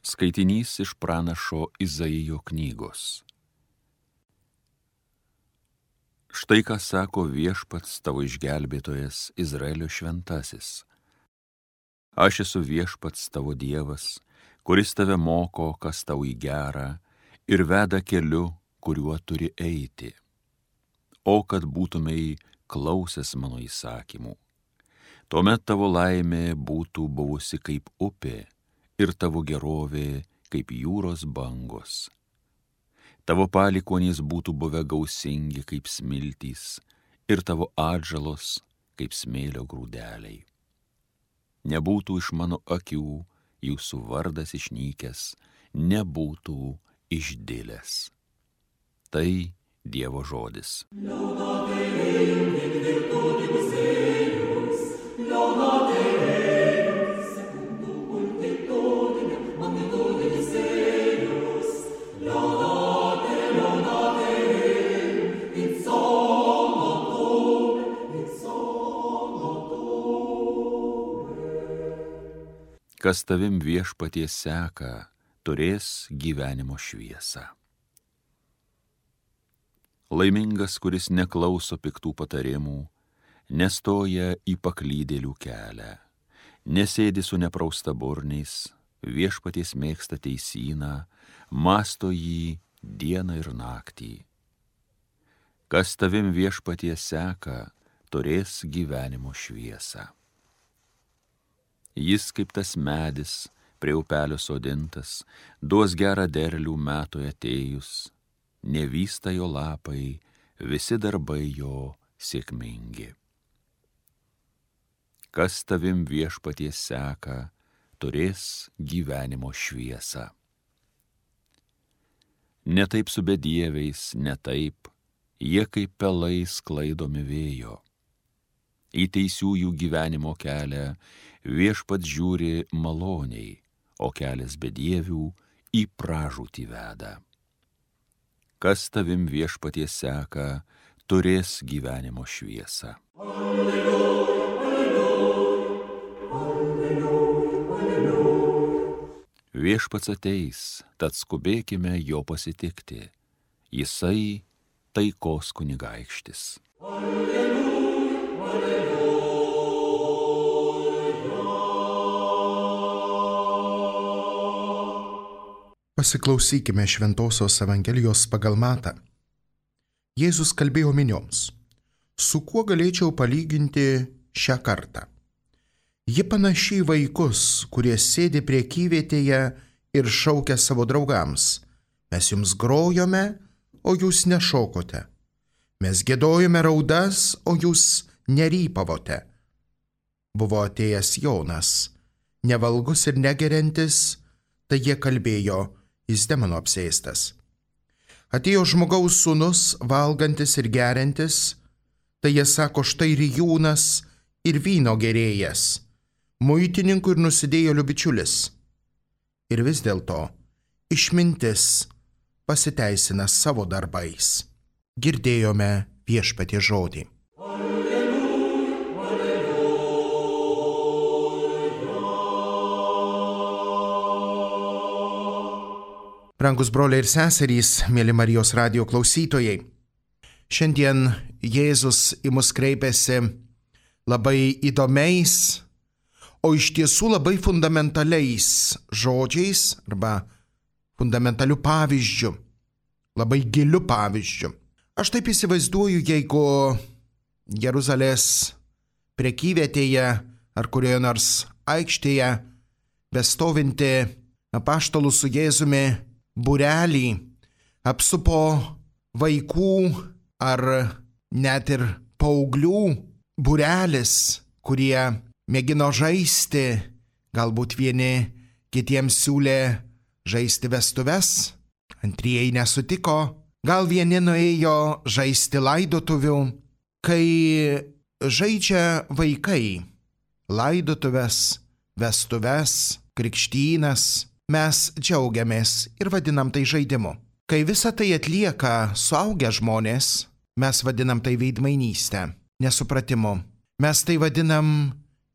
Skaitinys iš pranašo Izaijo knygos. Štai ką sako Viešpats tavo išgelbėtojas, Izraelio šventasis. Aš esu Viešpats tavo Dievas, kuris tave moko, kas tau į gerą, ir veda keliu, kuriuo turi eiti. O kad būtumei klausęs mano įsakymų, tuomet tavo laimė būtų buvusi kaip upė, ir tavo gerovė kaip jūros bangos. Tavo palikuonys būtų buvę gausingi kaip smiltys, ir tavo atžalos kaip smėlio grūdeliai. Nebūtų iš mano akių jūsų vardas išnykęs, nebūtų išdilęs. Tai Dievo žodis. Kas tavim Viešpatie seka, turės gyvenimo šviesą. Laimingas, kuris neklauso piktų patarimų, nestoja į paklydėlių kelią, nesėdi su nepraustaburniais, Viešpaties mėgsta teisyną, mąsto jį dieną ir naktį. Kas tavim Viešpatie seka, turės gyvenimo šviesą. Jis kaip tas medis, prie upelio sodintas, duos gerą derlių metui atėjus, nevysta jo lapai, visi darbai jo sėkmingi. Kas tavim Viešpatie seka, turės gyvenimo šviesą. Ne taip su bedieviais, ne taip, jie kaip pelai sklaidomi vėjo. Į teisiųjų gyvenimo kelią Viešpats žiūri maloniai, o kelias bedievių į pražūtį veda. Kas tavim Viešpatie seka, turės gyvenimo šviesą. Alleluja, alleluja, alleluja. Viešpats ateis, tad skubėkime jo pasitikti. Jisai taikos kunigaikštis. Alleluja, alleluja. Pasiklausykime Šventosios Evangelijos pagal Matą. Jėzus kalbėjo minioms. Su kuo galėčiau palyginti šią kartą? Ji panaši į vaikus, kurie sėdi prekyvietėje ir šaukia savo draugams. Mes jums grojome, o jūs nešokote. Mes giedojome raudas, o jūs nerypavote. Buvo atėjęs Jonas, nevalgus ir negeriantis, tai jie kalbėjo, jis demonų apsėstas. Atėjo žmogaus sūnus, valgantis ir geriantis, tai jie sako, štai rijūnas ir vyno gerėjas, muitininkų ir nusidėjėlių bičiulis. Ir vis dėlto išmintis pasiteisina savo darbais. Girdėjome Viešpaties žodį. Brangus broliai ir seserys, mėly Marijos radijo klausytojai, šiandien Jėzus į mus kreipiasi labai įdomiais, o iš tiesų labai fundamentaliais žodžiais arba fundamentaliu pavyzdžiu, labai giliu pavyzdžiu. Aš taip įsivaizduoju, jeigu Jeruzalės prekyvietėje ar kurioje nors aikštėje bestovinti apaštalų su Jėzumi būrelį apsupo vaikų ar net ir paauglių būrelis, kurie mėgino žaisti, galbūt vieni kitiems siūlė žaisti vestuves, antrieji nesutiko, gal vieni nuėjo žaisti laidotuvių. Kai žaidžia vaikai laidotuves, vestuves, krikštynas, mes džiaugiamės ir vadinam tai žaidimu. Kai visą tai atlieka suaugę žmonės, mes vadinam tai veidmainystę, nesupratimu. Mes tai vadinam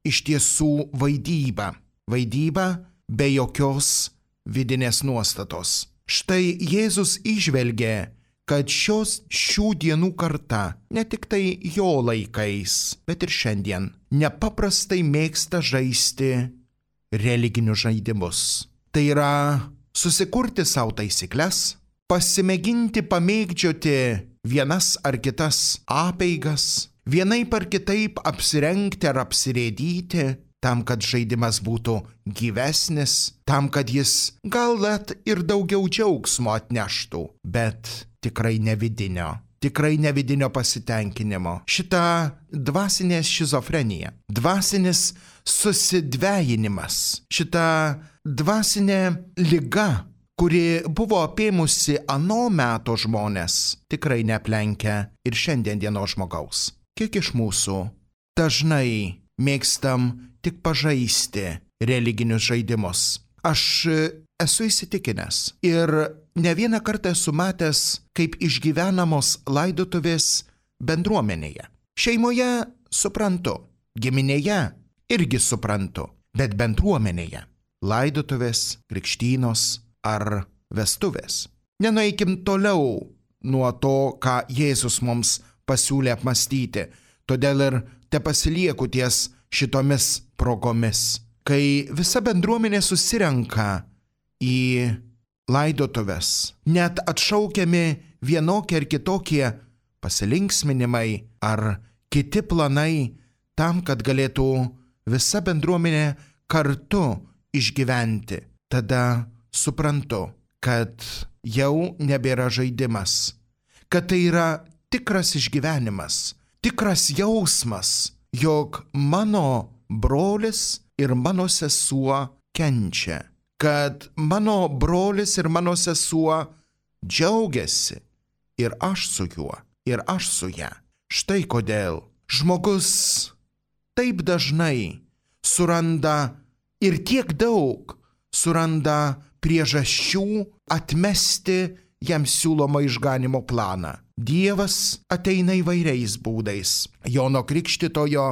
iš tiesų vaidybą. Vaidybą be jokios vidinės nuostatos. Štai Jėzus įžvelgė, kad šių dienų karta, ne tik tai jo laikais, bet ir šiandien, nepaprastai mėgsta žaisti religinius žaidimus. Tai yra susikurti savo taisyklės, pasimėginti pamėgdžioti vienas ar kitas apeigas, vienaip ar kitaip apsirengti ar apsirėdyti, tam, kad žaidimas būtų gyvesnis, tam, kad jis gal net ir daugiau džiaugsmo atneštų, bet tikrai ne vidinio pasitenkinimo. Šita dvasinė šizofrenija, dvasinis susidvejinimas, šita dvasinė liga, kuri buvo apėmusi ano meto žmonės, tikrai neaplenkia ir šiandien dienos žmogaus. Kiek iš mūsų dažnai mėgstam tik pažaisti religinius žaidimus. Aš esu įsitikinęs ir ne vieną kartą esu matęs, kaip išgyvenamos laidotuvės bendruomenėje. Šeimoje suprantu, giminėje irgi suprantu, bet bendruomenėje laidotuvės, krikštynos ar vestuvės. Nenueikim toliau nuo to, ką Jėzus mums pasiūlė apmastyti, todėl ir tepasilieku ties šitomis progomis. Kai visa bendruomenė susirenka į laidotuves, net atšaukiami vienokie ar kitokie pasilinksminimai ar kiti planai tam, kad galėtų visa bendruomenė kartu išgyventi, tada suprantu, kad jau nebėra žaidimas, kad tai yra tikras išgyvenimas, tikras jausmas, jog mano brolis ir mano sesuo kenčia, kad mano brolis ir mano sesuo džiaugiasi ir aš su juo, ir aš su ją. Štai kodėl žmogus taip dažnai suranda ir tiek daug suranda priežasčių atmesti jam siūlomą išganimo planą. Dievas ateina įvairiais būdais. Jono Krikštytojo,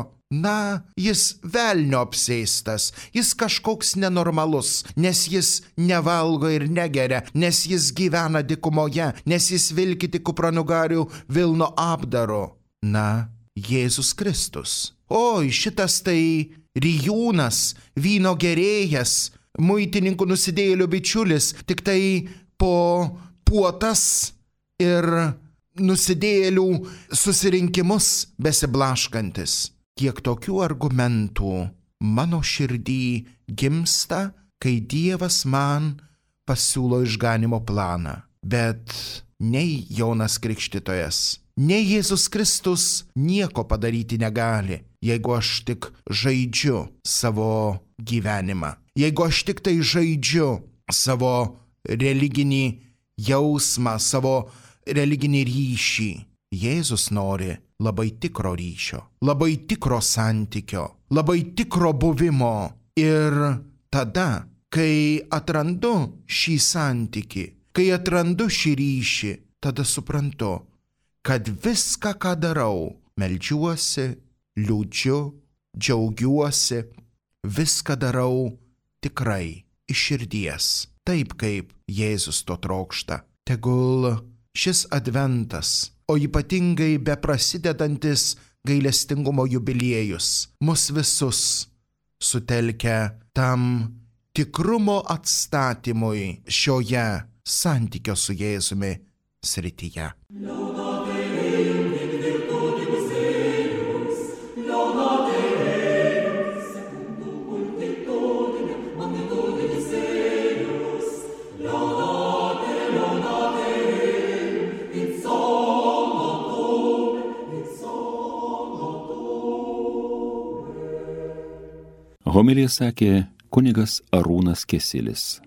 jis velnio apsėstas, jis kažkoks nenormalus, nes jis nevalgo ir negeria, nes jis gyvena dykumoje, nes jis vilki tik kupranugarių Vilno apdaru. Jėzus Kristus. Oi, šitas tai rijūnas, vyno gerėjas, muitininkų nusidėjėlių bičiulis, tik tai po puotas ir nusidėjėlių susirinkimus besiblaškantis. Kiek tokių argumentų mano širdį gimsta, kai Dievas man pasiūlo išganimo planą. Bet nei Jonas Krikštytojas, nei Jėzus Kristus nieko padaryti negali, jeigu aš tik žaidžiu savo gyvenimą. Jeigu aš tik tai žaidžiu savo religinį jausmą, savo religinį ryšį. Jėzus nori labai tikro ryšio, labai tikro santykio, labai tikro buvimo. Ir tada, kai atrandu šį santykį, kai atrandu šį ryšį, tada suprantu, kad viską, ką darau, meldžiuosi, liūdžiu, džiaugiuosi, viską darau tikrai iš širdies, taip kaip Jėzus to trokšta. Tegul šis adventas, o ypatingai beprasidedantis gailestingumo jubiliejus, mus visus sutelkia tam tikrumo atstatymui šioje santykio su Jėzumi srityje. Homiliją sakė kunigas Arūnas Kesilis.